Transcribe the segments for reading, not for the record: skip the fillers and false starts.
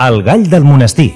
El gall del monestir.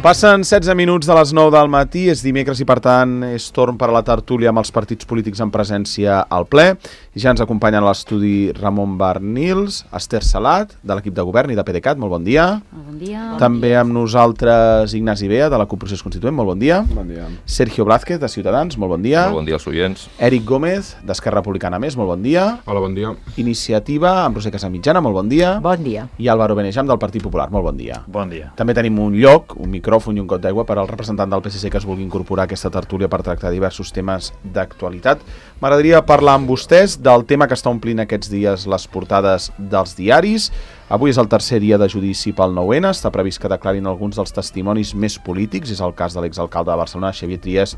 Passen 16 minuts de les 9 del matí, és dimecres i per tant és torn per a la tertúlia amb els partits polítics en presència al ple. I ja ens acompanyen a l'estudi Ramon Barnils, Esther Salat, de l'equip de govern i de PDeCAT, molt bon dia. Bon dia. També amb nosaltres Ignasi Bea, de la CUP Procés Constituent, molt bon dia. Bon dia. Sergio Blázquez, de Ciutadans, molt bon dia. Molt bon dia als oients. Eric Gómez, d'Esquerra Republicana Més, molt bon dia. Hola, bon dia. Iniciativa, amb Roser Casamitjana, molt bon dia. Bon dia. I Álvaro Benejam, del Partit Popular, molt bon dia. Bon dia. També tenim un lloc, un micròfon i un got d'aigua per al representant del PSC que es vulgui incorporar a aquesta tertúlia per tractar diversos temes d'actualitat. M'agradaria parlar amb vostès del tema que està omplint aquests dies les portades dels diaris. Avui és el tercer dia de judici pel 9-N, està previst que declarin alguns dels testimonis més polítics, és el cas de l'exalcalde de Barcelona, Xavier Trias,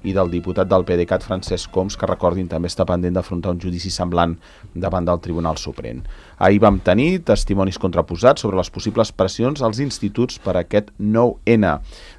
i del diputat del PDeCAT, Francesc Homs, que recordin també està pendent d'afrontar un judici semblant davant del Tribunal Suprem. Ahir vam tenir testimonis contraposats sobre les possibles pressions als instituts per a aquest 9-N.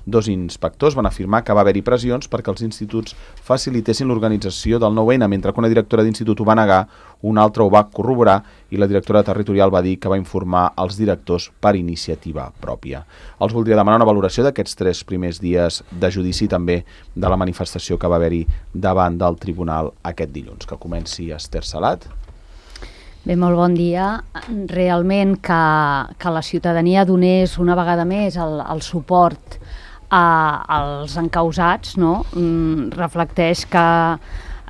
Dos inspectors van afirmar que va haver-hi pressions perquè els instituts facilitessin l'organització del 9-N, mentre que una directora d'institut ho va negar, una altra ho va corroborar i la directora territorial va dir que va informar els directors per iniciativa pròpia. Els voldria demanar una valoració d'aquests 3 primers dies de judici, també de la manifestació que va haver-hi davant del tribunal aquest dilluns. Que comenci Esther Salat. Bé, molt bon dia. Realment que la ciutadania donés una vegada més el suport als encausats, no? Reflecteix que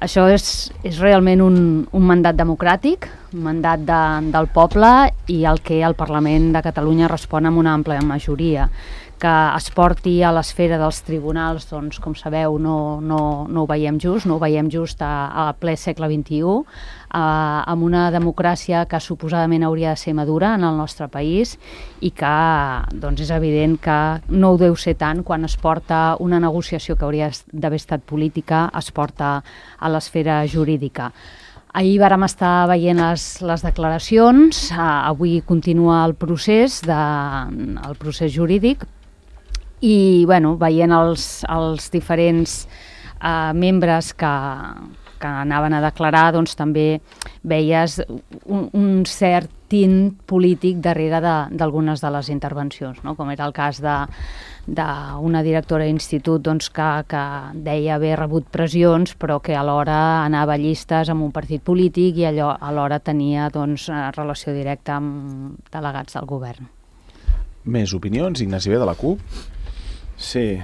això és realment un mandat democràtic, un mandat del poble i el que el Parlament de Catalunya respon amb una àmplia majoria. Que es porti a l'esfera dels tribunals, doncs, com sabeu, no ho veiem just, no ho veiem just a ple segle XXI, amb una democràcia que suposadament hauria de ser madura en el nostre país i que doncs, és evident que no ho deu ser tant quan es porta una negociació que hauria d'haver estat política, es porta a l'esfera jurídica. Ahir vàrem estar veient les declaracions, avui continua el procés jurídic i veient els diferents membres que anaven a declarar, doncs també veies un cert tint polític darrere d'algunes de les intervencions, no? Com era el cas d'una directora d'institut doncs, que deia haver rebut pressions però que alhora anava a llistes amb un partit polític i alhora tenia doncs, relació directa amb delegats del govern. Més opinions? Ignasi Bea, de la CUP. Sí,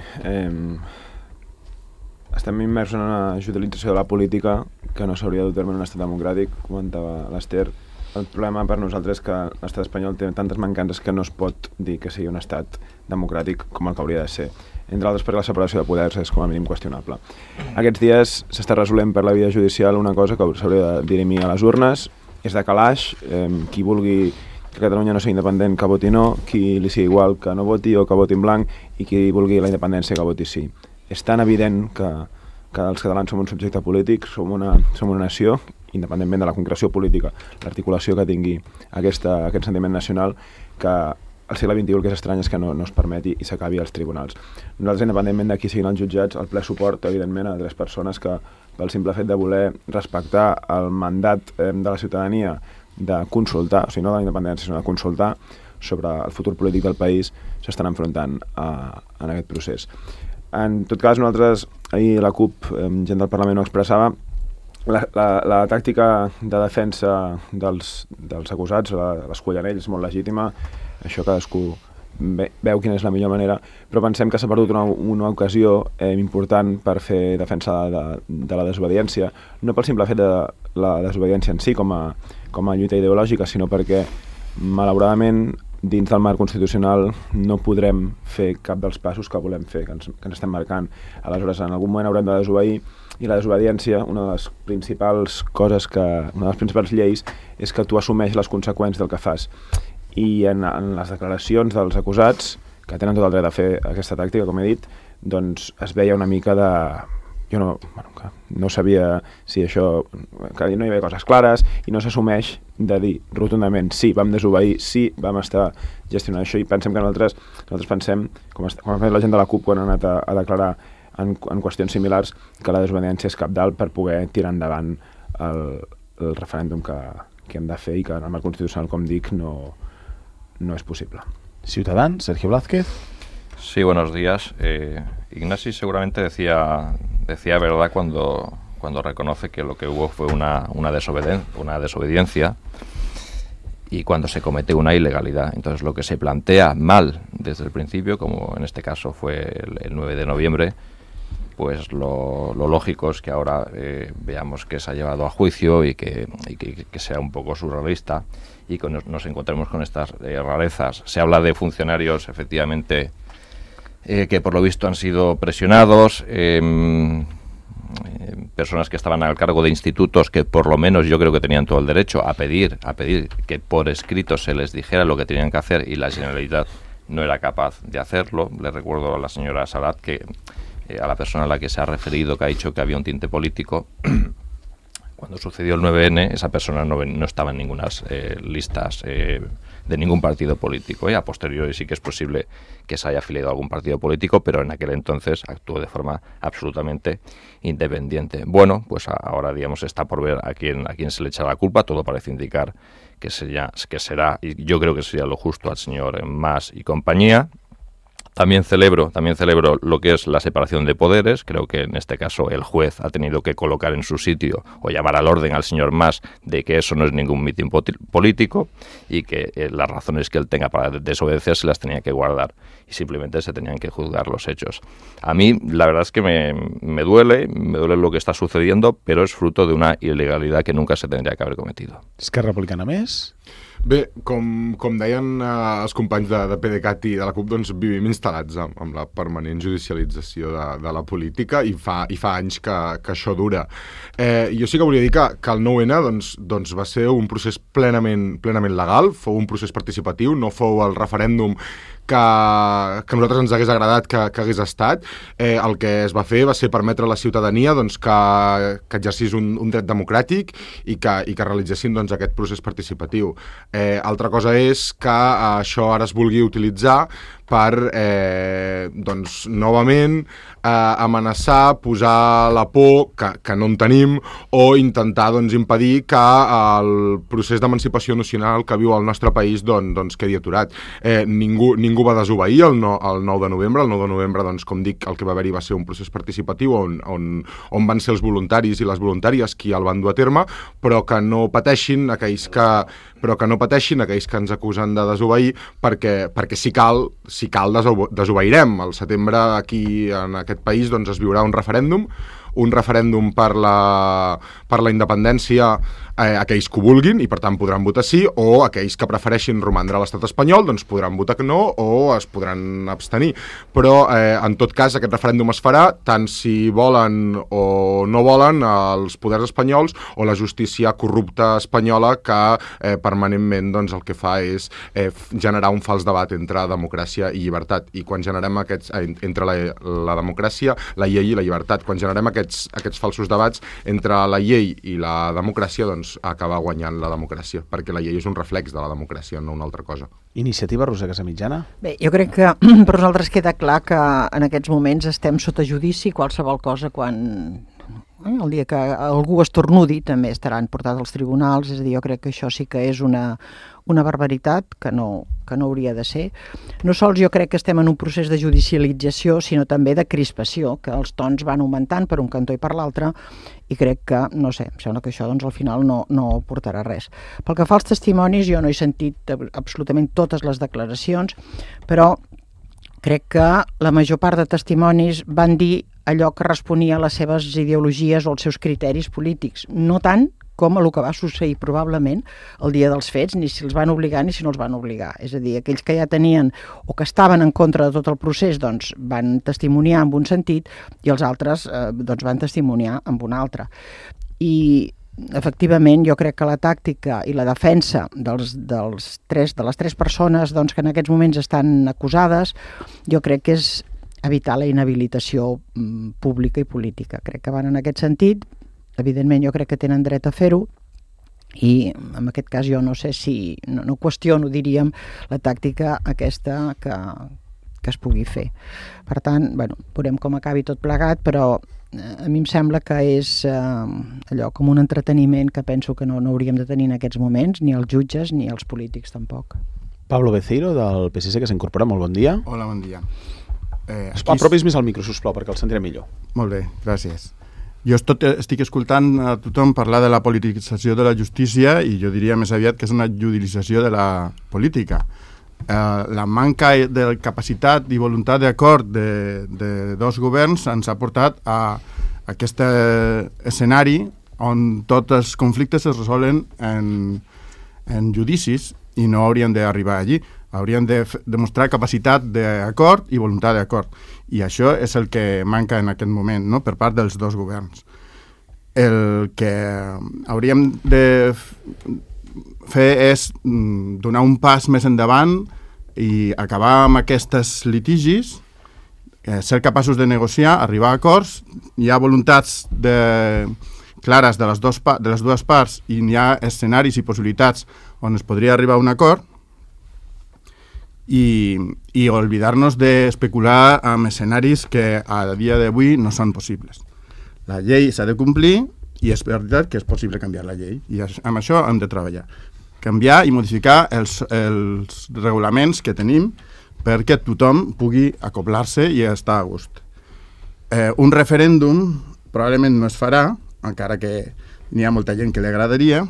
estem immersos en una utilització de la política que no s'hauria de dur terme en un estat democràtic, comentava l'Esther. El problema per nosaltres és que l'estat espanyol té tantes mancances que no es pot dir que sigui un estat democràtic com el que hauria de ser. Entre altres perquè la separació de poders és com a mínim qüestionable. Aquests dies s'està resolent per la via judicial una cosa que s'hauria de dirimir a les urnes, és de calaix, qui vulgui que Catalunya no sigui independent que voti no, qui li sigui igual que no voti o que voti en blanc i qui vulgui la independència que voti sí. És tan evident que els catalans som un subjecte polític, som una nació, independentment de la concreció política, l'articulació que tingui aquest sentiment nacional, que al segle XXI el que és estrany és que no es permeti i s'acabi als tribunals. Nosaltres, independentment de qui siguin els jutjats, el ple suport, evidentment, a 3 persones que, pel simple fet de voler respectar el mandat de la ciutadania de consultar, o sigui, no de la independència, sinó de consultar sobre el futur polític del país, s'estan enfrontant en aquest procés. En tot cas, nosaltres, ahir la CUP, gent del Parlament ho expressava, la tàctica de defensa dels acusats, l'escollanell, és molt legítima, això cadascú veu quina és la millor manera, però pensem que s'ha perdut una ocasió important per fer defensa de la desobediència, no pel simple fet de la desobediència en si com a lluita ideològica, sinó perquè, malauradament, dins del marc constitucional no podrem fer cap dels passos que volem fer, que ens estem marcant. Aleshores, en algun moment haurem de desobeir, i la desobediència, una de les principals lleis, és que tu assumeix les conseqüències del que fas. I en les declaracions dels acusats, que tenen tot el dret a fer aquesta tàctica, com he dit, doncs es veia una mica de... Jo no sabia si això... que no hi havia coses clares i no s'assumeix de dir rotundament sí, vam desobeir, sí, vam estar gestionant això, i pensem que nosaltres pensem, com ha fet la gent de la CUP quan ha anat a declarar en qüestions similars, que la desobediència és cabdal per poder tirar endavant el referèndum que hem de fer i que en el marc constitucional, com dic, no es posible. Ciutadans, Sergio Blázquez. Sí, buenos días. Ignasi seguramente decía verdad cuando reconoce que lo que hubo fue una desobediencia y cuando se comete una ilegalidad. Entonces, lo que se plantea mal desde el principio, como en este caso fue el 9 de noviembre, pues lo lógico es que ahora veamos que se ha llevado a juicio y que sea un poco surrealista y que nos encontremos con estas rarezas. Se habla de funcionarios, efectivamente, que por lo visto han sido presionados, personas que estaban al cargo de institutos que por lo menos yo creo que tenían todo el derecho a pedir que por escrito se les dijera lo que tenían que hacer y la Generalitat no era capaz de hacerlo. Le recuerdo a la señora Salat que a la persona a la que se ha referido, que ha dicho que había un tinte político. Cuando sucedió el 9N, esa persona no estaba en ninguna listas de ningún partido político. A posteriori sí que es posible que se haya afiliado a algún partido político, pero en aquel entonces actuó de forma absolutamente independiente. Bueno, pues ahora, digamos, está por ver a quién se le echa la culpa. Todo parece indicar que será, y yo creo que sería lo justo, al señor Mas y compañía. También celebro lo que es la separación de poderes. Creo que en este caso el juez ha tenido que colocar en su sitio o llamar al orden al señor Mas de que eso no es ningún mitin político y que las razones que él tenga para desobedecer se las tenía que guardar y simplemente se tenían que juzgar los hechos. A mí la verdad es que me duele lo que está sucediendo, pero es fruto de una ilegalidad que nunca se tendría que haber cometido. Esquerra Republicana més? Bé, com deien els companys de PDeCAT i de la CUP, doncs vivim instal·lats amb la permanent judicialització de la política i fa anys que això dura. Jo sí que volia dir que el 9N doncs va ser un procés plenament legal, fou un procés participatiu, no fou el referèndum que a nosaltres ens hagués agradat que hagués estat. El que es va fer va ser permetre a la ciutadania que exercís un dret democràtic i que realitzessin aquest procés participatiu. Altra cosa és que això ara es vulgui utilitzar per novament amenaçar, posar la por que no en tenim o intentar impedir que el procés d'emancipació nacional que viu el nostre país quedi aturat. Ningú va desobeir el 9 de novembre. El 9 de novembre, com dic, el que va haver-hi va ser un procés participatiu on van ser els voluntaris i les voluntàries qui el van dur a terme, però que no pateixin aquells que ens acusen de desobeir, perquè si cal desobeirem. Al setembre aquí en aquest país es viurà un referèndum per la independència, aquells que ho vulguin i per tant podran votar sí, o aquells que prefereixin romandre a l'estat espanyol podran votar que no o es podran abstenir. Però en tot cas aquest referèndum es farà tant si volen o no volen els poders espanyols o la justícia corrupta espanyola que permanentment el que fa és generar un fals debat entre democràcia i llibertat. I quan generem entre la democràcia, la llei i la llibertat, quan generem aquests falsos debats entre la llei i la democràcia, acaba guanyant la democràcia, perquè la llei és un reflex de la democràcia, no una altra cosa. Iniciativa, Roser Casamitjana? Bé, jo crec que per nosaltres queda clar que en aquests moments estem sota judici. Qualsevol cosa, quan el dia que algú estornudi també estaran portats als tribunals. És a dir, jo crec que això sí que és una barbaritat que no hauria de ser. No sols jo crec que estem en un procés de judicialització, sinó també de crispació, que els tons van augmentant per un cantó i per l'altre, i crec que, no sé, em sembla que això al final no portarà res. Pel que fa als testimonis, jo no he sentit absolutament totes les declaracions, però crec que la major part de testimonis van dir allò que responia a les seves ideologies o als seus criteris polítics, no tant com el que va succeir probablement el dia dels fets, ni si els van obligar ni si no els van obligar. És a dir, aquells que ja tenien o que estaven en contra de tot el procés van testimoniar en un sentit i els altres van testimoniar en un altre. I efectivament jo crec que la tàctica i la defensa de les tres persones que en aquests moments estan acusades, jo crec que és evitar la inhabilitació pública i política. Crec que van en aquest sentit. Evidentment jo crec que tenen dret a fer-ho i en aquest cas jo no sé si, no qüestiono, diríem, la tàctica aquesta que es pugui fer. Per tant, veurem com acabi tot plegat, però a mi em sembla que és allò com un entreteniment que penso que no hauríem de tenir en aquests moments, ni els jutges ni els polítics tampoc. Pablo Beceiro, del PSC, que s'incorpora. Molt bon dia. Hola, bon dia. Apropis més al micro, sisplau, perquè el sentiré millor. Molt bé, gràcies. Jo estic escoltant a tothom parlar de la politització de la justícia i jo diria més aviat que és una judicialització de la política. La manca de capacitat i voluntat d'acord de dos governs ens ha portat a aquest escenari on tots els conflictes es resolen en judicis i no haurien d'arribar allí. Haurien de demostrar capacitat d'acord i voluntat d'acord. I això és el que manca en aquest moment, no?, per part dels dos governs. El que hauríem de fer és donar un pas més endavant i acabar amb aquests litigis, ser capaços de negociar, arribar a acords. Hi ha voluntats clares de les dues parts i hi ha escenaris i possibilitats on es podria arribar a un acord i oblidar-nos d'especular amb escenaris que a dia d'avui no són possibles. La llei s'ha de complir i és veritat que és possible canviar la llei i amb això hem de treballar. Canviar i modificar els regulaments que tenim perquè tothom pugui acoblar-se i estar a gust. Un referèndum probablement no es farà, encara que n'hi ha molta gent que li agradaria,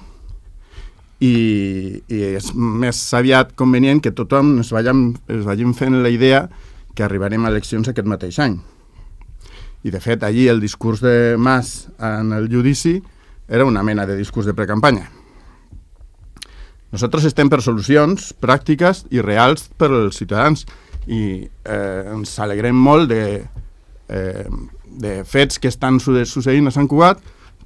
i és més aviat convenient que tothom es vagin fent la idea que arribarem a eleccions aquest mateix any. I de fet allí el discurs de Mas en el judici era una mena de discurs de precampanya. Nosaltres estem per solucions pràctiques i reals per als ciutadans i ens alegrem molt de fets que estan succeint a Sant Cugat,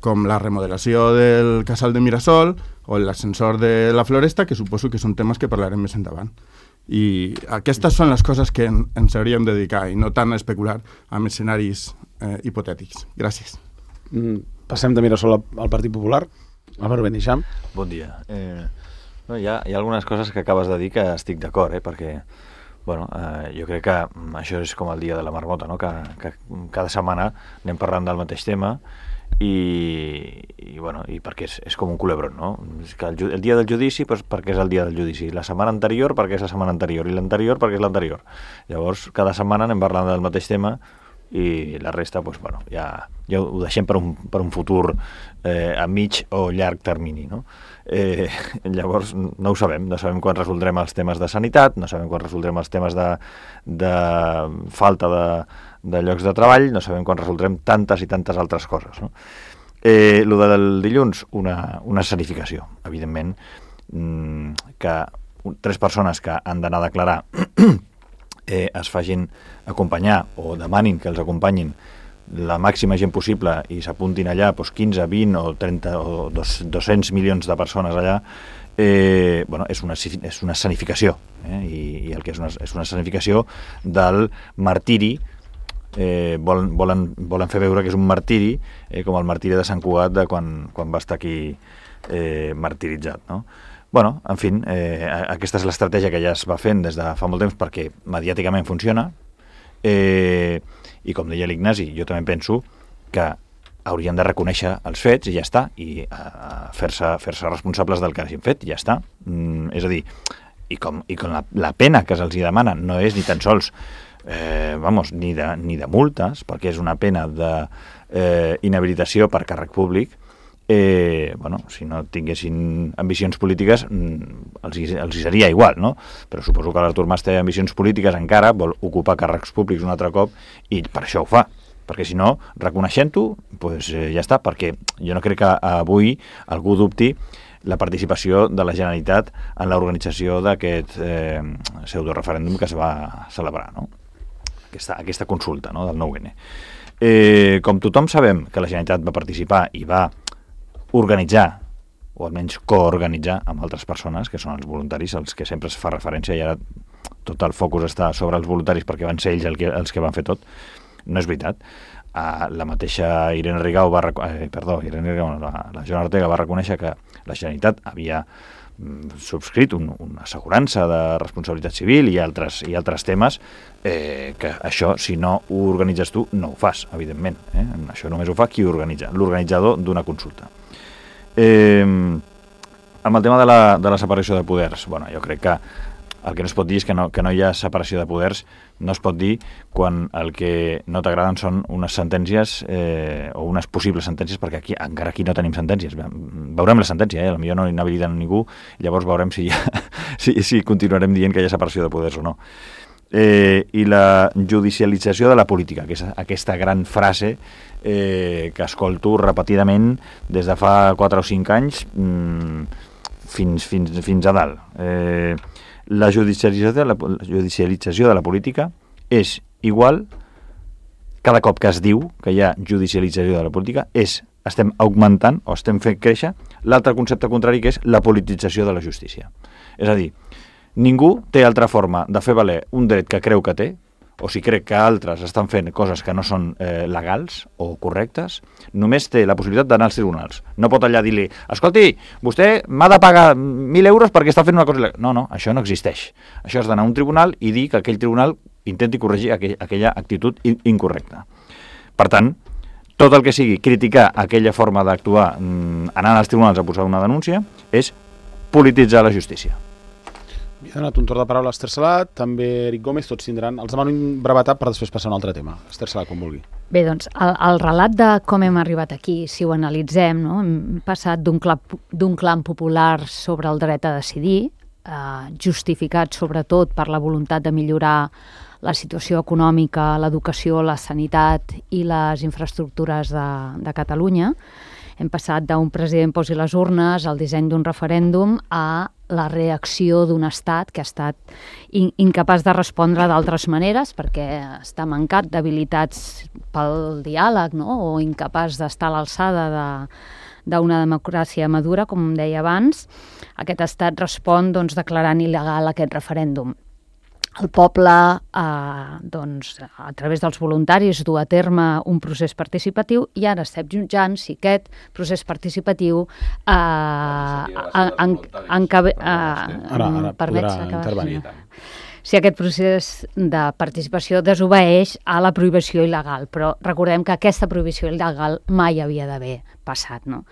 com la remodelació del casal de Mirasol o l'ascensor de la Floresta, que suposo que són temes que parlarem més endavant. I aquestes són les coses que ens hauríem de dedicar i no tant a especular amb escenaris hipotètics. Gràcies. Passem de Mirasol al Partit Popular. Álvaro Beneixam. Bon dia. Hi ha algunes coses que acabes de dir que estic d'acord, perquè jo crec que això és com el dia de la marmota, no? Que cada setmana anem parlant del mateix tema i perquè és com un culebron, no? És que el dia del judici, doncs perquè és el dia del judici, la setmana anterior perquè és la setmana anterior i l'anterior perquè és l'anterior. Llavors, cada setmana anem parlant del mateix tema i la resta, ja ho deixem per un futur a mig o llarg termini, no? Llavors, no ho sabem. No sabem quan resoldrem els temes de sanitat, no sabem quan resoldrem els temes de falta de llocs de treball, no sabem quan resoldrem tantes i tantes altres coses, no? Lo del dilluns, una escenificació, evidentment, que 3 persones que han d'anar a declarar es facin acompanyar o demanin que els acompanyin la màxima gent possible i s'apuntin allà 15, 20 o 30 o 200 milions de persones allà, és una escenificació, i el que és una escenificació del martiri. Volen fer veure que és un martiri, com el martiri de Sant Cugat de quan va estar aquí martiritzat, no? En fi, aquesta és l'estratègia que ja es va fent des de fa molt temps perquè mediàticament funciona, i com deia l'Ignasi, jo també penso que haurien de reconèixer els fets i ja està, i fer-se responsables del que hagin fet i ja està. És a dir, i com la pena que se'ls demana no és ni tan sols ni de multes, perquè és una pena d'inhabilitació per càrrec públic. Si no tinguessin ambicions polítiques els seria igual, no? Però suposo que l'Artur Mas té ambicions polítiques encara, vol ocupar càrrecs públics un altre cop i per això ho fa, perquè si no, reconeixent-ho, ja està, perquè jo no crec que avui algú dubti la participació de la Generalitat en l'organització d'aquest pseudoreferèndum que es va celebrar, no? Aquesta consulta, no, del 9N. Com tothom sabem que la Generalitat va participar i va organitzar, o almenys coorganitzar amb altres persones, que són els voluntaris, els que sempre es fa referència, i ara tot el focus està sobre els voluntaris perquè van ser ells els que van fer tot. No és veritat. La mateixa la Joana Ortega va reconèixer que la Generalitat havia subscrit una assegurança de responsabilitat civil i altres temes que això, si no ho organitzes tu, no ho fas, evidentment. Això només ho fa qui ho organitza, l'organitzador d'una consulta. Amb el tema de la separació de poders, bueno, jo crec que el que no es pot dir és que no hi ha separació de poders, no es pot dir quan el que no t'agraden són unes sentències o unes possibles sentències, perquè encara aquí no tenim sentències. Veurem la sentència, potser no inhabiliten ningú, llavors veurem si continuarem dient que hi ha separació de poders o no. I la judicialització de la política, que és aquesta gran frase que escolto repetidament des de fa 4 o 5 anys fins a dalt. La judicialització de la política és igual, cada cop que es diu que hi ha judicialització de la política, estem augmentant o estem fent créixer l'altre concepte contrari, que és la politització de la justícia. És a dir, ningú té altra forma de fer valer un dret que creu que té, o si crec que altres estan fent coses que no són legals o correctes, només té la possibilitat d'anar als tribunals. No pot allà dir-li, escolti, vostè m'ha de pagar 1.000 euros perquè està fent una cosa il·legal. No, això no existeix. Això és d'anar a un tribunal i dir que aquell tribunal intenti corregir aquella actitud incorrecta. Per tant, tot el que sigui criticar aquella forma d'actuar anant als tribunals a posar una denúncia és polititzar la justícia. He donat un torn de paraula a Esther Salat, també Eric Gómez, tots tindran... Els demano un brevetat per després passar a un altre tema. Esther Salat, com vulgui. Bé, doncs, el relat de com hem arribat aquí, si ho analitzem, no? Hem passat d'un clam popular sobre el dret a decidir, justificat sobretot per la voluntat de millorar la situació econòmica, l'educació, la sanitat i les infraestructures de Catalunya. Hem passat d'un president posi les urnes al disseny d'un referèndum a la reacció d'un estat que ha estat incapaç de respondre d'altres maneres perquè està mancat d'habilitats pel diàleg, no? O incapaç d'estar a l'alçada d'una democràcia madura, com deia abans. Aquest estat respon declarant il·legal aquest referèndum. El poble, doncs, a través dels voluntaris, du a terme un procés participatiu i ara estem jutjant si aquest procés participatiu si aquest procés de participació desobeeix a la prohibició il·legal, però recordem que aquesta prohibició il·legal mai havia d'haver passat, no?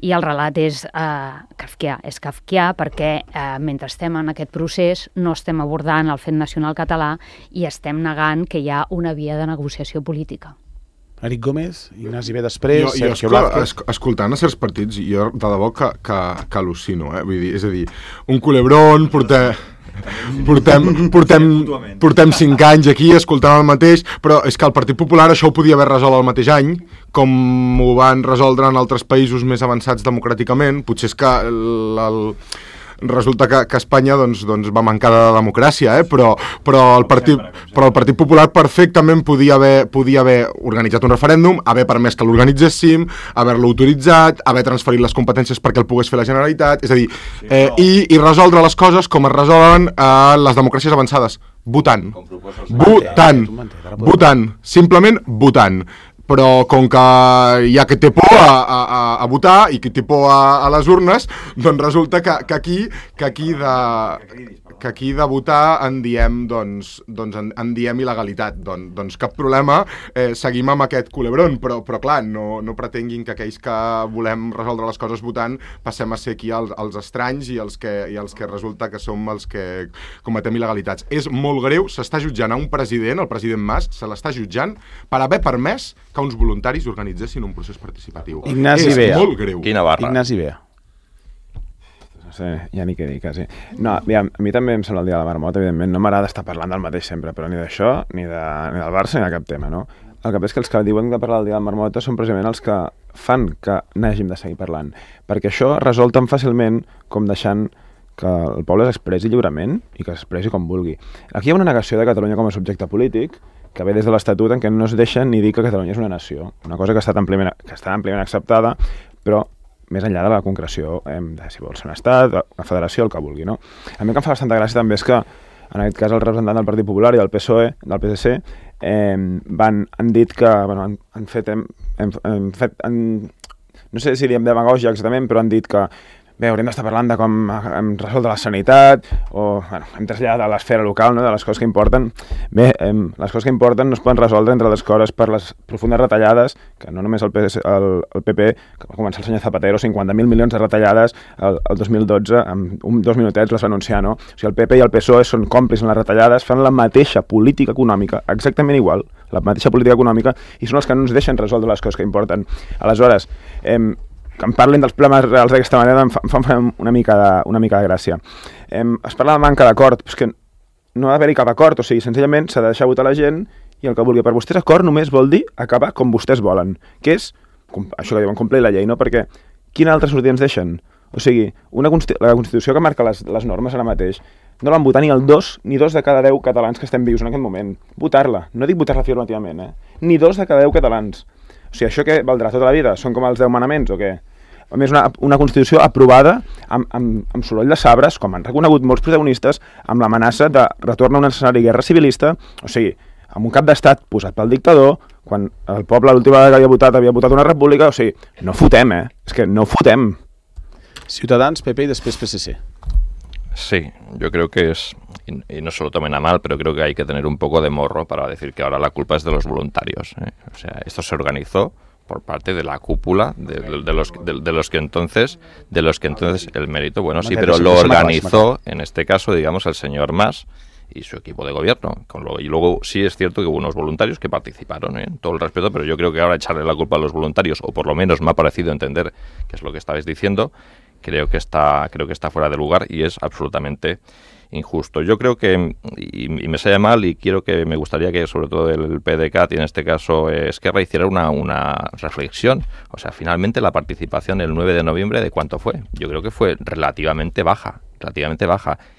I el relat és kafkià perquè mentre estem en aquest procés no estem abordant el fet nacional català i estem negant que hi ha una via de negociació política. Eric Gómez, Ignasi B després, Sergio Blázquez. Escoltant a certs partits, jo de debò que al·lucino, vull dir, és a dir, un culebrón, portem 5 anys aquí escoltant el mateix, però és que el Partit Popular això ho podia haver resolt el mateix any, com ho van resoldre en altres països més avançats democràticament. Potser és que resulta que Espanya doncs va mancar de democràcia, però el Partit Popular perfectament podia haver organitzat un referèndum, haver permès que l'organitzéssim, haver-lo autoritzat, haver transferit les competències perquè el pogués fer la Generalitat, és a dir, i resoldre les coses com es resolen a les democràcies avançades, votant, simplement votant. Però com que hi ha qui té por a votar i qui té por a les urnes, doncs resulta que aquí de votar en diem il·legalitat. Doncs cap problema, seguim amb aquest culebrón, però clar, no pretenguin que aquells que volem resoldre les coses votant passem a ser aquí els estranys i els que resulta que som els que cometem il·legalitats. És molt greu, s'està jutjant a un president, el president Mas, se l'està jutjant per haver permès que uns voluntaris organitzessin un procés participatiu. Ignasi Bea. És molt greu. Quina barra. Ignasi Bea. No sé, ja ni què dir, quasi. No, aviam, a mi també em sembla el dia de la marmota, evidentment. No m'agrada estar parlant del mateix sempre, però ni d'això, ni del Barça, ni de cap tema, no? El que és que els que diuen de parlar del dia de la marmota són precisament els que fan que n'hàgim de seguir parlant. Perquè això resol tan fàcilment com deixant que el poble s'expressi lliurement i que s'expressi com vulgui. Aquí hi ha una negació de Catalunya com a subjecte polític que ve des de l'Estatut en què no es deixa ni dir que Catalunya és una nació. Una cosa que està àmpliament acceptada, però més enllà de la concreció de si vol ser un estat, una federació, el que vulgui, no? A mi el que em fa bastanta gràcia també és que, en aquest cas, el representant del Partit Popular i del PSOE, del PSC, han dit que, bueno, han fet, no sé si diem demagògia exactament, però han dit que bé, hauríem d'estar parlant de com hem resolt la sanitat, o bueno, hem traslladat a l'esfera local, no?, de les coses que importen. Bé, les coses que importen no es poden resoldre, entre les coses, per les profundes retallades, que no només el PP, que va començar el senyor Zapatero, 50.000 milions de retallades el 2012, amb 2 minutets les va anunciar, no? O sigui, el PP i el PSOE són còmplices en les retallades, fan la mateixa política econòmica, exactament igual, la mateixa política econòmica, i són els que no ens deixen resoldre les coses que importen. Aleshores, que em parlin dels problemes reals d'aquesta manera em fa una mica de gràcia. Es parla de manca d'acord, però és que no ha d'haver-hi cap acord, o sigui, senzillament s'ha de deixar votar la gent i el que vulgui. Per vostès acord només vol dir acabar com vostès volen, que és, això que diuen, complir la llei, no? Perquè quina altra sortida ens deixen? O sigui, la Constitució que marca les normes ara mateix no la van votar ni el 2 ni 2 de cada 10 catalans que estem vius en aquest moment. Votar-la, no dic votar-la afirmativament, ni 2 de cada 10 catalans. O sigui, això què valdrà tota la vida? Són com els 10 manaments o què? A més, una Constitució aprovada amb soroll de sabres, com han reconegut molts protagonistes, amb l'amenaça de retorn a un escenari de guerra civilista, o sigui, amb un cap d'estat posat pel dictador, quan el poble l'última vegada que havia votat una república, o sigui, no fotem, és que no fotem. Ciutadans, PP y después PSC. Sí, yo creo que es, y no se lo tomen a mal, pero creo que hay que tener un poco de morro para decir que ahora la culpa es de los voluntarios. O sea, esto se organizó por parte de la cúpula de los que entonces el mérito, bueno, sí, pero lo organizó, en este caso, digamos, el señor Mas y su equipo de gobierno. Y luego sí es cierto que hubo unos voluntarios que participaron, todo el respeto, pero yo creo que ahora echarle la culpa a los voluntarios, o por lo menos me ha parecido entender que es lo que estabais diciendo, creo que está fuera de lugar y es absolutamente injusto. Yo creo que, y me sale mal, y me gustaría que sobre todo el PDeCAT, y en este caso Esquerra, hiciera una reflexión. O sea, finalmente la participación el 9 de noviembre, ¿de cuánto fue? Yo creo que fue relativamente baja.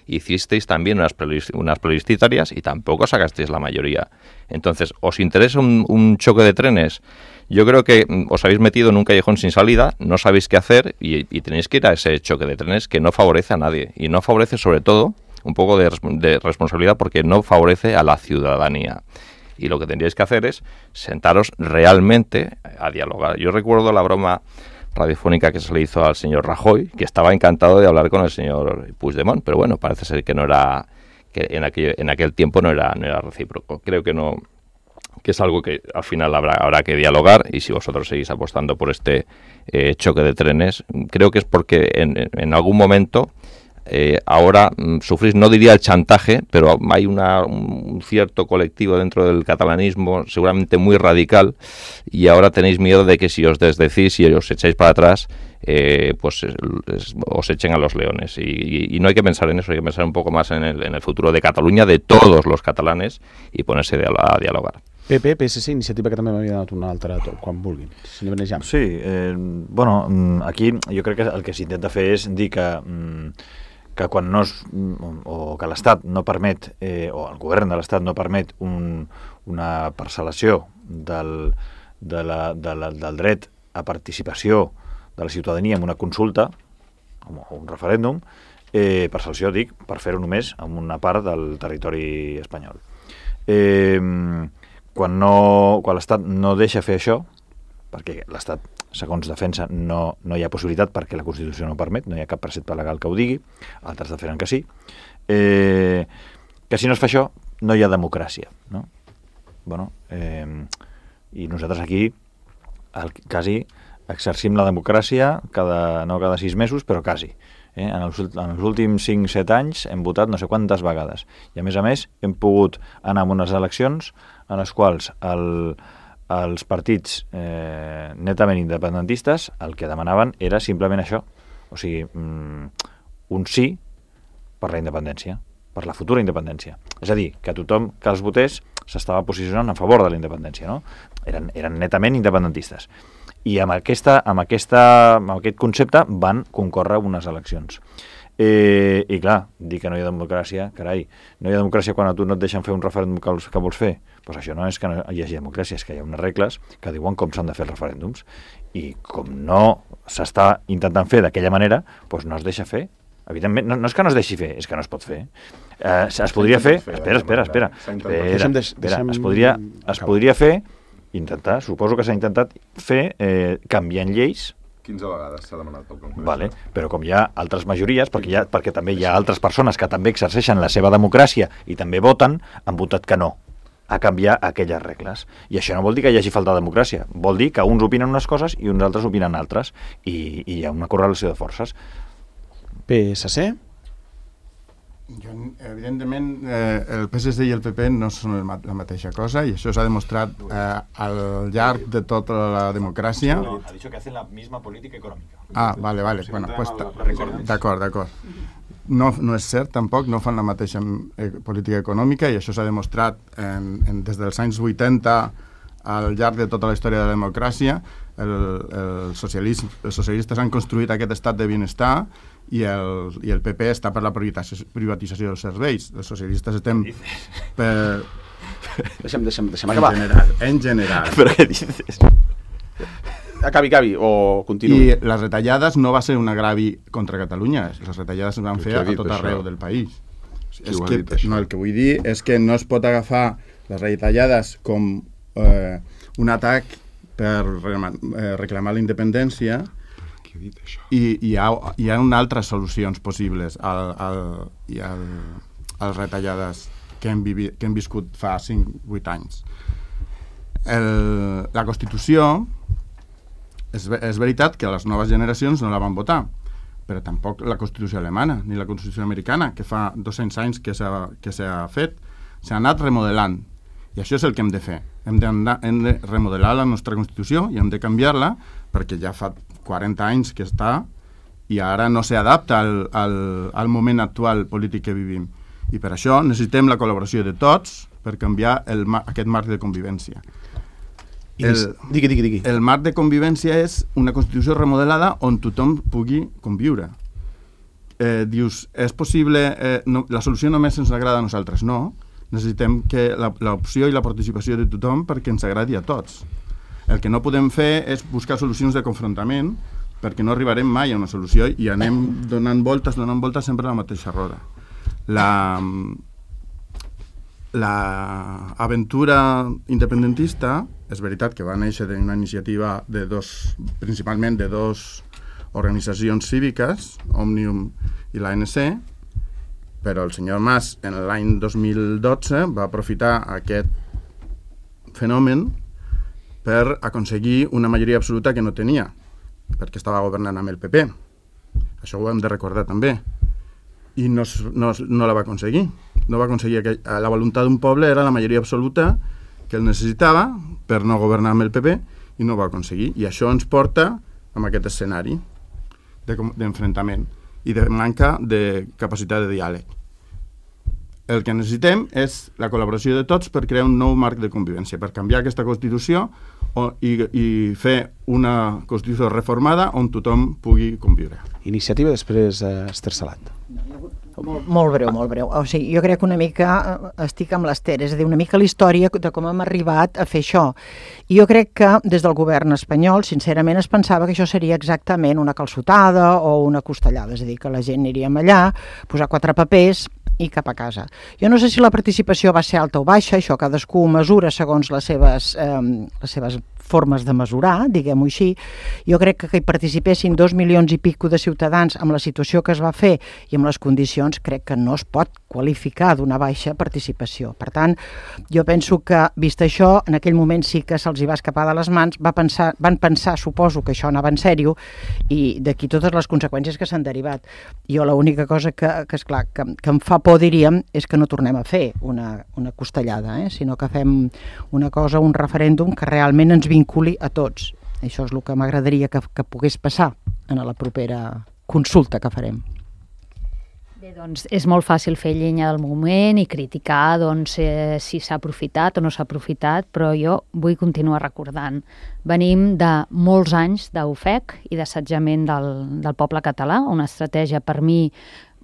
Hicisteis también unas plebiscitarias y tampoco sacasteis la mayoría. Entonces, ¿os interesa un choque de trenes? Yo creo que os habéis metido en un callejón sin salida, no sabéis qué hacer y tenéis que ir a ese choque de trenes que no favorece a nadie. Y no favorece, sobre todo, un poco de responsabilidad, porque no favorece a la ciudadanía. Y lo que tendríais que hacer es sentaros realmente a dialogar. Yo recuerdo la broma radiofónica que se le hizo al señor Rajoy, que estaba encantado de hablar con el señor Puigdemont, pero bueno, parece ser que no era, que en aquel tiempo no era recíproco. Creo que no, que es algo que al final habrá que dialogar, y si vosotros seguís apostando por este choque de trenes, creo que es porque en algún momento ahora sufrís, no diría el chantaje, pero hay un cierto colectivo dentro del catalanismo seguramente muy radical, y ahora tenéis miedo de que si os desdecís y os echáis para atrás, pues os echen a los leones, y no hay que pensar en eso, hay que pensar un poco más en el futuro de Cataluña, de todos los catalanes, y ponerse a dialogar. PP, PSC, Iniciativa, que també m'havia donat una altra quan vulguin. Si ja. Sí, bueno, aquí jo crec que el que s'intenta fer és dir que quan no o que l'Estat no permet, o el govern de l'Estat no permet una parcel·lació del dret a participació de la ciutadania en una consulta, o un referèndum, parcel·lació, dic, per fer-ho només en una part del territori espanyol. Quan l'Estat no deixa fer això, perquè l'Estat, segons defensa, no hi ha possibilitat perquè la Constitució no permet, no hi ha cap precepte legal que ho digui, altres defenen que sí, que si no es fa això no hi ha democràcia, no? Bueno, i nosaltres aquí quasi exercim la democràcia no cada 6 mesos, però quasi. En els últims 5-7 anys hem votat no sé quantes vegades, i a més hem pogut anar a unes eleccions en les quals els partits netament independentistes el que demanaven era simplement això, o sigui, un sí per la independència, per la futura independència. És a dir, que tothom que els votés s'estava posicionant a favor de la independència, no? Eren netament independentistes. I amb aquest concepte van concórrer unes eleccions. I clar, dir que no hi ha democràcia, carai, no hi ha democràcia quan a tu no et deixen fer un referèndum que vols fer. Doncs això no és que no hi hagi democràcia, és que hi ha unes regles que diuen com s'han de fer els referèndums. I com no s'està intentant fer d'aquella manera, doncs no es deixa fer. Evidentment, no és que no es deixi fer, és que no es pot fer. Es podria fer... Espera. Es podria fer, suposo que s'ha intentat fer canviant lleis 15 vegades s'ha demanat pel Congrés. Vale, però com hi ha altres majories, perquè també hi ha altres persones que també exerceixen la seva democràcia i també voten, han votat que no a canviar aquelles regles. I això no vol dir que hi hagi falta de democràcia, vol dir que uns opinen unes coses i uns altres opinen altres, i hi ha una correlació de forces. PSC? Evidentment, el PSC i el PP no són la mateixa cosa i això s'ha demostrat al llarg de tota la democràcia. Ha dit que hacen la misma política econòmica. Vale. Bueno, pues, d'acord. No és cert, tampoc, no fan la mateixa política econòmica i això s'ha demostrat des dels anys 80 al llarg de tota la història de la democràcia. Els socialistes han construït aquest estat de benestar i el PP està per la privatització dels serveis. Els socialistes estem per... Deixa'm acabar. En general. Però què dices? Acabi, o continuï. I les retallades no va ser un agravi contra Catalunya, les retallades es van fer a tot arreu del país. El que vull dir és que no es pot agafar les retallades com un atac per reclamar la independència i hi ha altres solucions possibles a les retallades que hem viscut fa 5-8 anys. La Constitució és veritat que les noves generacions no la van votar, però tampoc la Constitució alemana ni la Constitució americana, que fa 200 anys que s'ha fet, s'ha anat remodelant. I això és el que hem de fer. Hem de remodelar la nostra Constitució i hem de canviar-la perquè ja fa 40 anys que està i ara no s'adapta al moment actual polític que vivim. I per això necessitem la col·laboració de tots per canviar aquest marc de convivència. Digui. El marc de convivència és una Constitució remodelada on tothom pugui conviure. Dius, és possible... la solució només ens agrada a nosaltres, no. Necessitem que l'opció i la participació de tothom perquè ens agradi a tots. El que no podem fer és buscar solucions de confrontament perquè no arribarem mai a una solució i anem donant voltes sempre a la mateixa roda. L'aventura independentista és veritat que va néixer d'una iniciativa principalment de dos organitzacions cíviques, Òmnium i l'ANC, però el senyor Mas en l'any 2012 va aprofitar aquest fenomen per aconseguir una majoria absoluta que no tenia, perquè estava governant amb el PP. Això ho hem de recordar també. I no la va aconseguir. No va aconseguir la voluntat d'un poble era la majoria absoluta que el necessitava per no governar amb el PP i no ho va aconseguir. I això ens porta a aquest escenari d'enfrontament i de manca de capacitat de diàleg. El que necessitem és la col·laboració de tots per crear un nou marc de convivència, per canviar aquesta Constitució i fer una Constitució reformada on tothom pugui conviure. Iniciativa, després Esther Salat. Molt breu. O sigui, jo crec que una mica estic amb l'Esther, és a dir, una mica la història de com hem arribat a fer això. I jo crec que des del govern espanyol, sincerament, es pensava que això seria exactament una calçotada o una costellada, és a dir, que la gent aniríem allà, posar 4 papers i cap a casa. Jo no sé si la participació va ser alta o baixa, això cadascú mesura segons les seves formes de mesurar, diguem-ho així. Jo crec que hi participessin 2 milions i pico de ciutadans amb la situació que es va fer i amb les condicions, crec que no es pot qualificar d'una baixa participació. Per tant, jo penso que, vist això, en aquell moment sí que se'ls hi va escapar de les mans, van pensar, suposo, que això anava en sèrio i d'aquí totes les conseqüències que s'han derivat. Jo l'única cosa que esclar, que em fa por, diríem, és que no tornem a fer una costellada, sinó que fem una cosa, un referèndum que realment ens vinculi a tots. Això és el que m'agradaria que pogués passar en la propera consulta que farem. Bé, doncs és molt fàcil fer llenya del moment i criticar si s'ha aprofitat o no s'ha aprofitat, però jo vull continuar recordant. Venim de molts anys d'ofec i d'assetjament del poble català, una estratègia per mi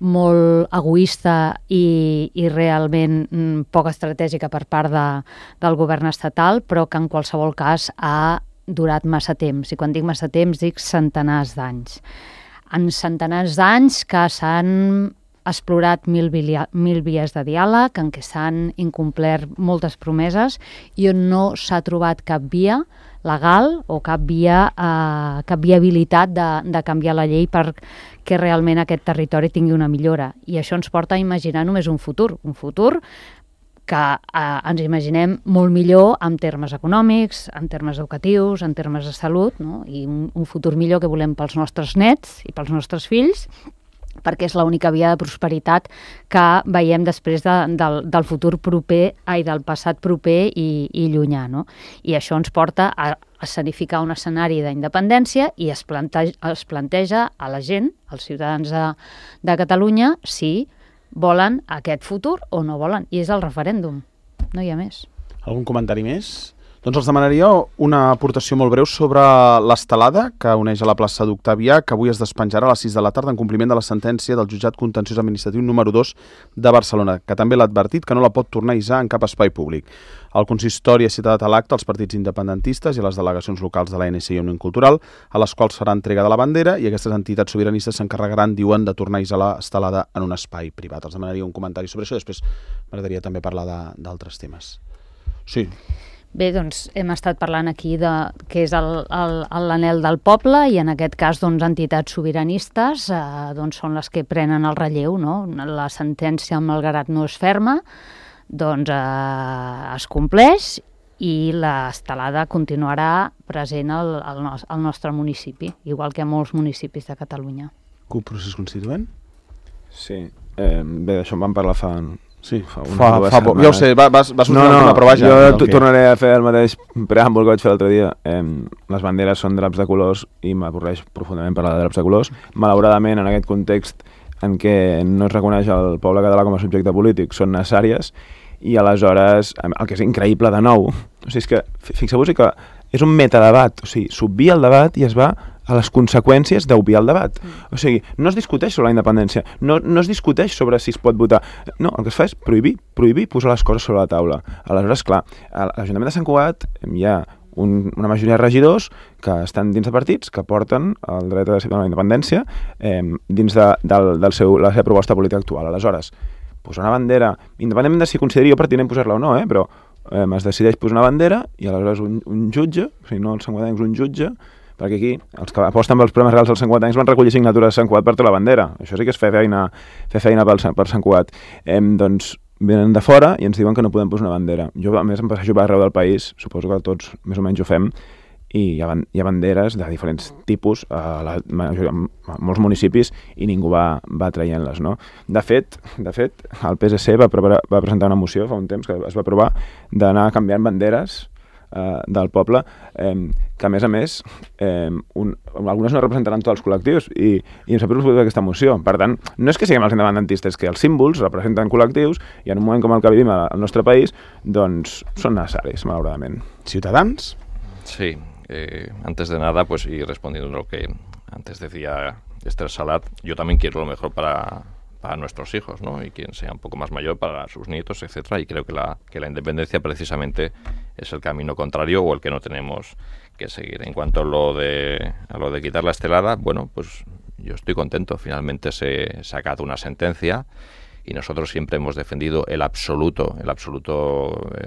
molt egoista i realment poc estratègica per part del govern estatal, però que en qualsevol cas ha durat massa temps. I quan dic massa temps dic centenars d'anys. En centenars d'anys que s'han explorat mil vies de diàleg, en què s'han incomplert moltes promeses i on no s'ha trobat cap via legal o cap viabilitat de canviar la llei perquè realment aquest territori tingui una millora. I això ens porta a imaginar només un futur que ens imaginem molt millor en termes econòmics, en termes educatius, en termes de salut, no? I un futur millor que volem pels nostres nets i pels nostres fills, perquè és l'única via de prosperitat que veiem després del futur proper, del passat proper i llunyà, no? I això ens porta a escenificar un escenari d'independència i es planteja a la gent, als ciutadans de Catalunya, si volen aquest futur o no volen. I és el referèndum, no hi ha més. Algun comentari més? Doncs els demanaria una aportació molt breu sobre l'estelada que uneix a la plaça d'Octavià, que avui es despenjarà a les 6 de la tarda en compliment de la sentència del jutjat contenciós administratiu número 2 de Barcelona, que també l'ha advertit que no la pot tornar a hissar en cap espai públic. El consistori ha citat a l'acte els partits independentistes i les delegacions locals de l'ANC i Òmnium Cultural, a les quals farà entrega de la bandera, i aquestes entitats sobiranistes s'encarregaran, diuen, de tornar a hissar l'estelada en un espai privat. Els demanaria un comentari sobre això, després m'agradaria també parlar d'altres temes. Sí. Bé, doncs hem estat parlant aquí de què és l'anhel del poble i en aquest cas doncs, entitats sobiranistes doncs, són les que prenen el relleu, no? La sentència, malgrat no és ferma, doncs es compleix i l'estelada continuarà present al nostre municipi, igual que a molts municipis de Catalunya. CUP, procés constituent? Sí, bé, d'això en vam parlar fa poc. Ja ho sé, va sortir una prova ja. Jo tornaré a fer el mateix preàmbul que vaig fer l'altre dia. Les banderes són draps de colors i m'avorreix profundament parlar de draps de colors. Malauradament, en aquest context en què no es reconeix el poble català com a subjecte polític, són necessàries i aleshores, el que és increïble de nou, o sigui, és que fixeu-vos que és un metadebat, o sigui, s'obvia el debat i es va a les conseqüències d'obviar el debat. O sigui, no es discuteix sobre la independència, no es discuteix sobre si es pot votar. No, el que es fa és prohibir posar les coses sobre la taula. Aleshores, clar, a l'Ajuntament de Sant Cugat hi ha una majoria de regidors que estan dins de partits que porten el dret a decidir la independència dins de la seva proposta política actual. Aleshores, posar una bandera, independentment de si consideri jo pertinent posar-la o no, però es decideix posar una bandera i aleshores un jutge, o sigui, no els santcuatencs, un jutge, perquè aquí els que aposten pels problemes reals dels santcuatencs van recollir signatures de Sant Cugat per tota la bandera. Això sí que és fer feina per Sant Cugat. Doncs venen de fora i ens diuen que no podem posar una bandera. Jo, a més, em passejo per arreu del país, suposo que tots més o menys ho fem, i hi ha banderes de diferents tipus a molts municipis i ningú va traient-les, no? De fet, el PSC va presentar una moció fa un temps que es va aprovar d'anar canviant banderes del poble, que a més algunes no representaran tots els col·lectius i em sap greu aquesta moció. Per tant, no és que siguem els independentistes, que els símbols representen col·lectius i en un moment com el que vivim al nostre país, doncs són necessaris, malauradament. Ciutadans? Sí, antes de nada, pues y respondiendo a lo que antes decía Esther Salat, yo también quiero lo mejor para nuestros hijos, ¿no? Y quien sea un poco más mayor para sus nietos, etcétera. Y creo que la independencia precisamente es el camino contrario o el que no tenemos que seguir. En cuanto a lo de quitar la estelada, bueno, pues yo estoy contento. Finalmente se ha sacado una sentencia y nosotros siempre hemos defendido el absoluto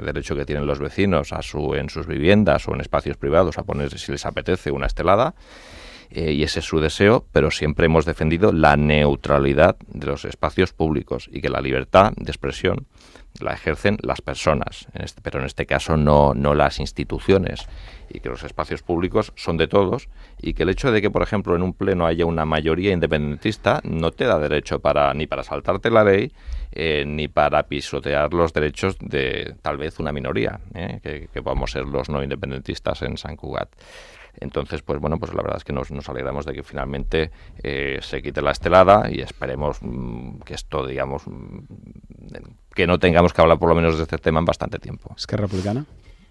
derecho que tienen los vecinos en sus viviendas o en espacios privados a poner, si les apetece, una estelada. Y ese es su deseo, pero siempre hemos defendido la neutralidad de los espacios públicos y que la libertad de expresión la ejercen las personas, pero en este caso no las instituciones, y que los espacios públicos son de todos y que el hecho de que, por ejemplo, en un pleno haya una mayoría independentista no te da derecho ni para saltarte la ley ni para pisotear los derechos de tal vez una minoría, que podamos ser los no independentistas en Sant Cugat. Entonces, pues bueno, pues la verdad es que nos alegramos de que finalmente se quite la estelada y esperemos que esto, digamos, que no tengamos que hablar por lo menos de este tema en bastante tiempo. Esquerra Republicana?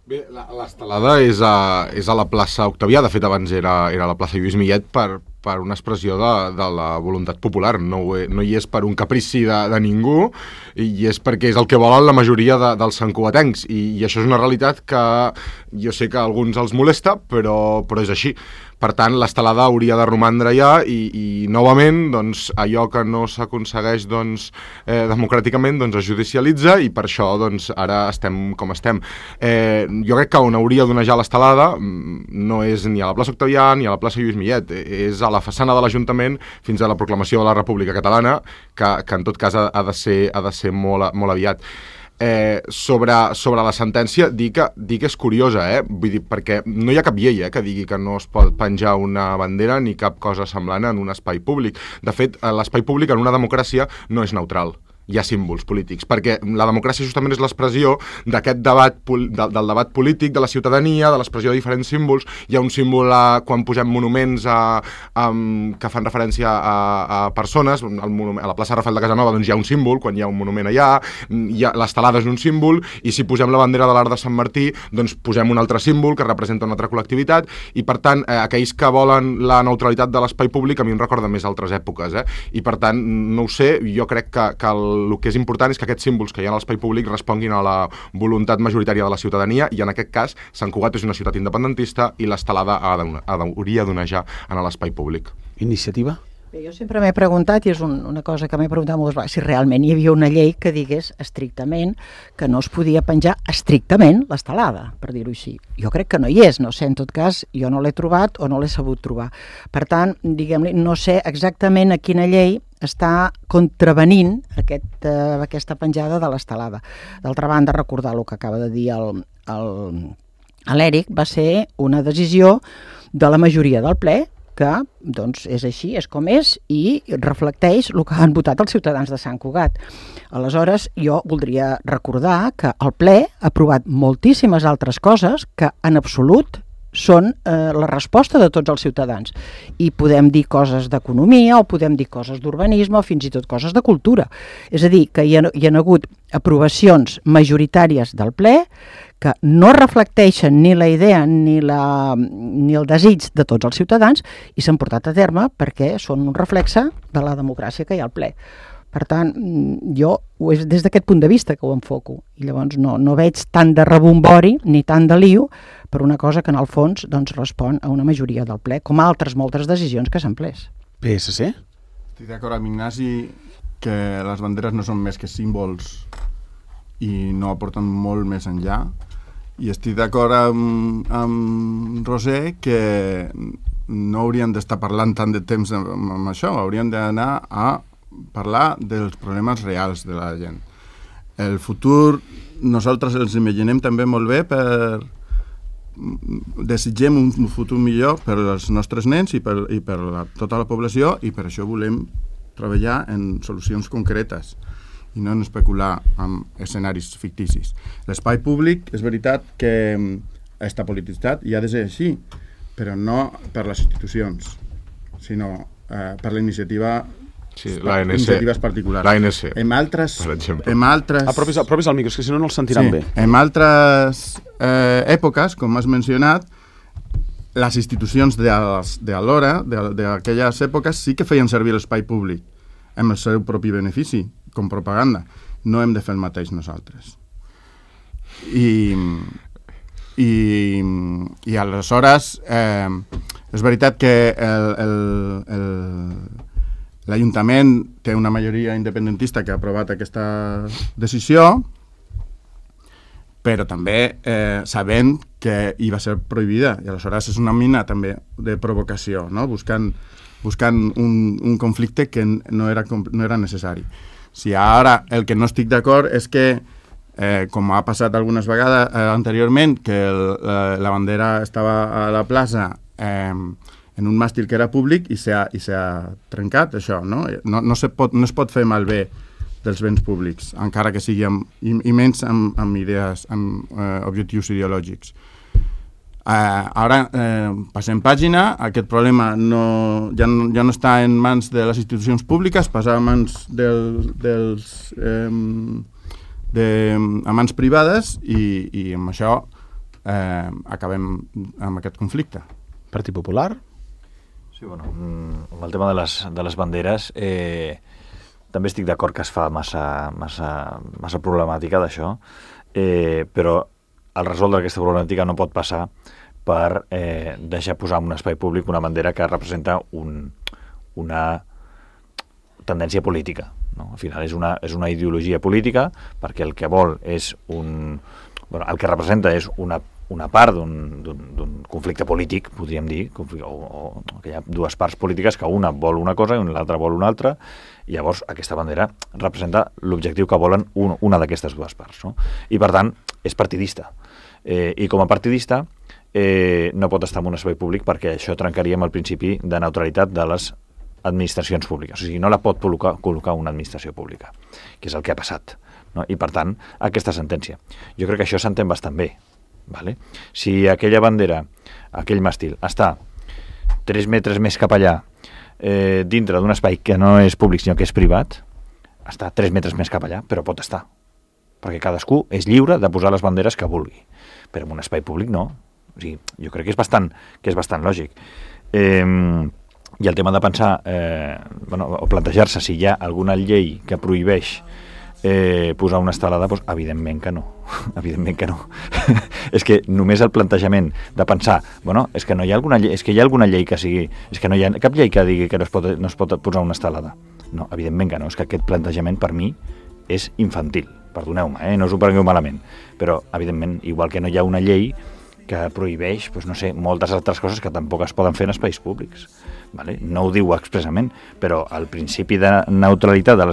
Bé, l'estelada és a la plaça Octavià, de fet abans era a la plaça Lluís Millet per per una expressió de la voluntat popular, no hi és per un caprici de ningú, i és perquè és el que volen la majoria dels santcugatencs, i això és una realitat que jo sé que a alguns els molesta, però és així. Per tant, l'estelada hauria de romandre ja i novament, doncs, allò que no s'aconsegueix democràticament es judicialitza, i per això ara estem com estem. Jo crec que on hauria d'onejar l'estelada no és ni a la plaça Octavià ni a la plaça Lluís Millet, és a la façana de l'Ajuntament fins a la proclamació de la República Catalana, que en tot cas ha de ser molt aviat. Sobre la sentència, dir que és curiosa, vull dir, perquè no hi ha cap llei que digui que no es pot penjar una bandera ni cap cosa semblant en un espai públic. De fet, l'espai públic en una democràcia no és neutral. Hi ha símbols polítics, perquè la democràcia justament és l'expressió d'aquest debat, del debat polític, de la ciutadania, de l'expressió de diferents símbols. Hi ha un símbol quan posem monuments que fan referència a persones, a la plaça Rafael de Casanova hi ha un símbol, quan hi ha un monument allà, l'estelada és un símbol, i si posem la bandera de l'Arc de Sant Martí, doncs posem un altre símbol que representa una altra col·lectivitat, i per tant, aquells que volen la neutralitat de l'espai públic a mi em recorda més altres èpoques, i per tant, no ho sé, jo crec que el que és important és que aquests símbols que hi ha a l'espai públic responguin a la voluntat majoritària de la ciutadania, i en aquest cas Sant Cugat és una ciutat independentista i l'estelada hauria d'onejar en l'espai públic. Iniciativa? Bé, jo sempre m'he preguntat, i és una cosa que m'he preguntat moltes vegades, si realment hi havia una llei que digués estrictament que no es podia penjar estrictament l'estelada, per dir-ho així. Jo crec que no hi és, no sé, en tot cas, jo no l'he trobat o no l'he sabut trobar. Per tant, diguem-li, no sé exactament a quina llei està contravenint aquesta penjada de l'estelada. D'altra banda, recordar el que acaba de dir l'Èric, va ser una decisió de la majoria del ple, que doncs, és així, és com és, i reflecteix el que han votat els ciutadans de Sant Cugat. Aleshores, jo voldria recordar que el ple ha aprovat moltíssimes altres coses que en absolut són la resposta de tots els ciutadans. I podem dir coses d'economia, o podem dir coses d'urbanisme, o fins i tot coses de cultura. És a dir, que hi ha hagut aprovacions majoritàries del ple que no reflecteixen ni la idea ni el desig de tots els ciutadans, i s'han portat a terme perquè són un reflexe de la democràcia que hi ha al ple. Per tant, jo és des d'aquest punt de vista que ho enfoco, i llavors no veig tant de rebombori ni tant de lío per una cosa que en el fons respon a una majoria del ple, com altres moltes decisions que s'han pres. PSC? Estic d'acord amb Ignasi que les banderes no són més que símbols i no aporten molt més enllà, i estic d'acord amb Roser que no hauríem d'estar parlant tant de temps amb això, hauríem d'anar a parlar dels problemes reals de la gent. El futur nosaltres els imaginem també molt bé desitgem un futur millor per als nostres nens i per tota la població, i per això volem treballar en solucions concretes i no en especular amb escenaris ficticis. L'espai públic és veritat que està polititzat i ha de ser així, però no per les institucions, sinó per la iniciativa. Sí, l'ANC. Iniciatives particulars. L'ANC, per exemple. Apropis al micro, és que si no els sentiran bé. En altres èpoques, com has mencionat, les institucions d'alhora, d'aquelles èpoques, sí que feien servir l'espai públic amb el seu propi benefici, com propaganda. No hem de fer el mateix nosaltres. I aleshores és veritat que l'Ajuntament té una majoria independentista que ha aprovat aquesta decisió, però també sabent que hi va ser prohibida, i aleshores és una mina també de provocació, no? buscant un conflicte que no era necessari. Si ara el que no estic d'acord és que, com ha passat algunes vegades anteriorment, que la bandera estava a la plaça en un màstil que era públic i s'ha trencat, això, no? No es pot fer malbé dels béns públics, encara que sigui i menys amb idees, amb objectius ideològics. Ara passem pàgina, aquest problema ja no està en mans de les institucions públiques, passa a mans a mans privades, i amb això acabem amb aquest conflicte. Partit Popular? Sí, bueno, amb el tema de les banderes, també estic d'acord que es fa massa problemàtica d'això, però al resoldre aquesta problemàtica no pot passar per deixar posar en un espai públic una bandera que representa una tendència política. No? Al final és una ideologia política perquè el que vol és el que representa és una part d'un conflicte polític, podríem dir, o que hi ha dues parts polítiques que una vol una cosa i l'altra vol una altra, i llavors aquesta bandera representa l'objectiu que volen una d'aquestes dues parts. No? I per tant, és partidista. I com a partidista no pot estar en un espai públic perquè això trencaria amb el principi de neutralitat de les administracions públiques. O sigui, no la pot col·locar una administració pública, que és el que ha passat. No? I per tant, aquesta sentència. Jo crec que això s'entén bastant bé. Vale? Si aquella bandera, aquell màstil, està 3 metres més cap allà, dintre d'un espai que no és públic sinó que és privat, està 3 metres més cap allà, però pot estar. Perquè cadascú és lliure de posar les banderes que vulgui. Però en un espai públic no. O sigui, jo crec que és bastant lògic. I el tema de pensar, o plantejar-se si hi ha alguna llei que prohibeix posar una estelada, doncs evidentment que no. Evidentment que no. És que només el plantejament de pensar, és que no hi ha alguna llei, és que hi ha alguna llei que sigui, és que no hi ha cap llei que digui que no es pot posar una estelada. No, evidentment que no. És que aquest plantejament per mi és infantil. Perdoneu-me, no us ho prengueu malament. Però, evidentment, igual que no hi ha una llei que prohibeix, moltes altres coses que tampoc es poden fer en espais públics. Vale? No ho diu expressament, però el principi de neutralitat de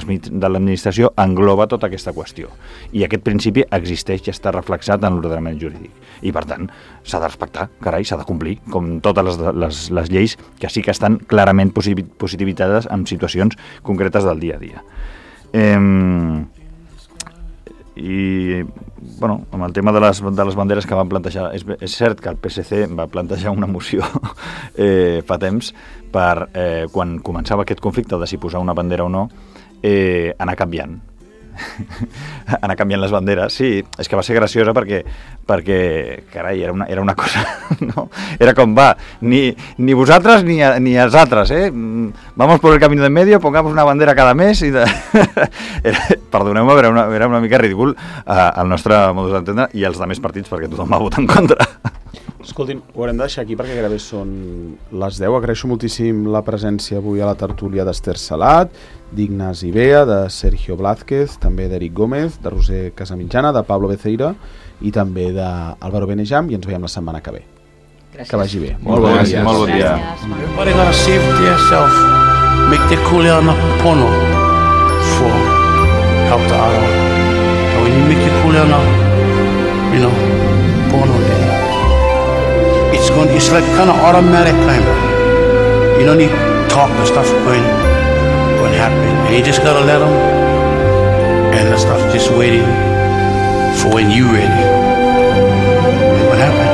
l'administració engloba tota aquesta qüestió. I aquest principi existeix i està reflexat en l'ordenament jurídic. I, per tant, s'ha de respectar, carai, s'ha de complir, com totes les lleis que sí que estan clarament positivitzades en situacions concretes del dia a dia. I, amb el tema de les banderes que van plantejar, és cert que el PSC va plantejar una moció fa temps per, quan començava aquest conflicte de si posar una bandera o no, anar canviant les banderes. Sí, és que va ser graciosa perquè carai, era una cosa, no? Era com, ni vosaltres ni els altres, vamos por el camino de en medio, pongamos una bandera cada mes i perdoneu-me, era una mica ridícul el nostre modus d'entendre i els altres partits perquè tothom va votar en contra. Escoltin, ho haurem de deixar aquí perquè gairebé són les 10. Agraeixo moltíssim la presència avui a la tertúlia d'Ester Salat, d'Ignasi Bea, de Sergio Blázquez, també d'Eric Gómez, de Roser Casamitjana, de Pablo Beceira i també d'Álvaro Benejam, i ens veiem la setmana que ve. Gràcies. Que vagi bé. Molt bon dia. Molt bon dia. Everybody gotta save it to yourself. Make the kuleana pono for help the other one. And when you make the kuleana, pono then it's like kind of automatic kind of. You don't need talk, the stuff going happen. And you just gotta let them, and the stuff just waiting for when you ready. And what happened?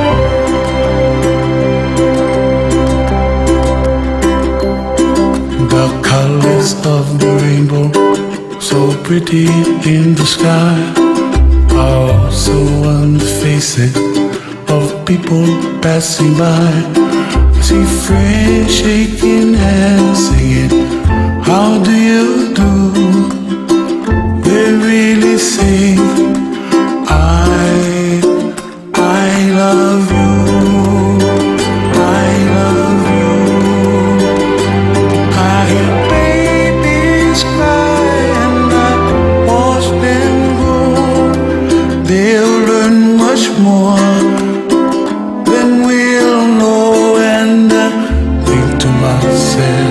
The colors of the rainbow, so pretty in the sky, are also on the faces of people passing by. See friends shaking hands, singing, how do you do? They really sing, I love you, I love you. I hear babies cry and I watch them grow. They'll learn much more than we'll know, and I think to myself,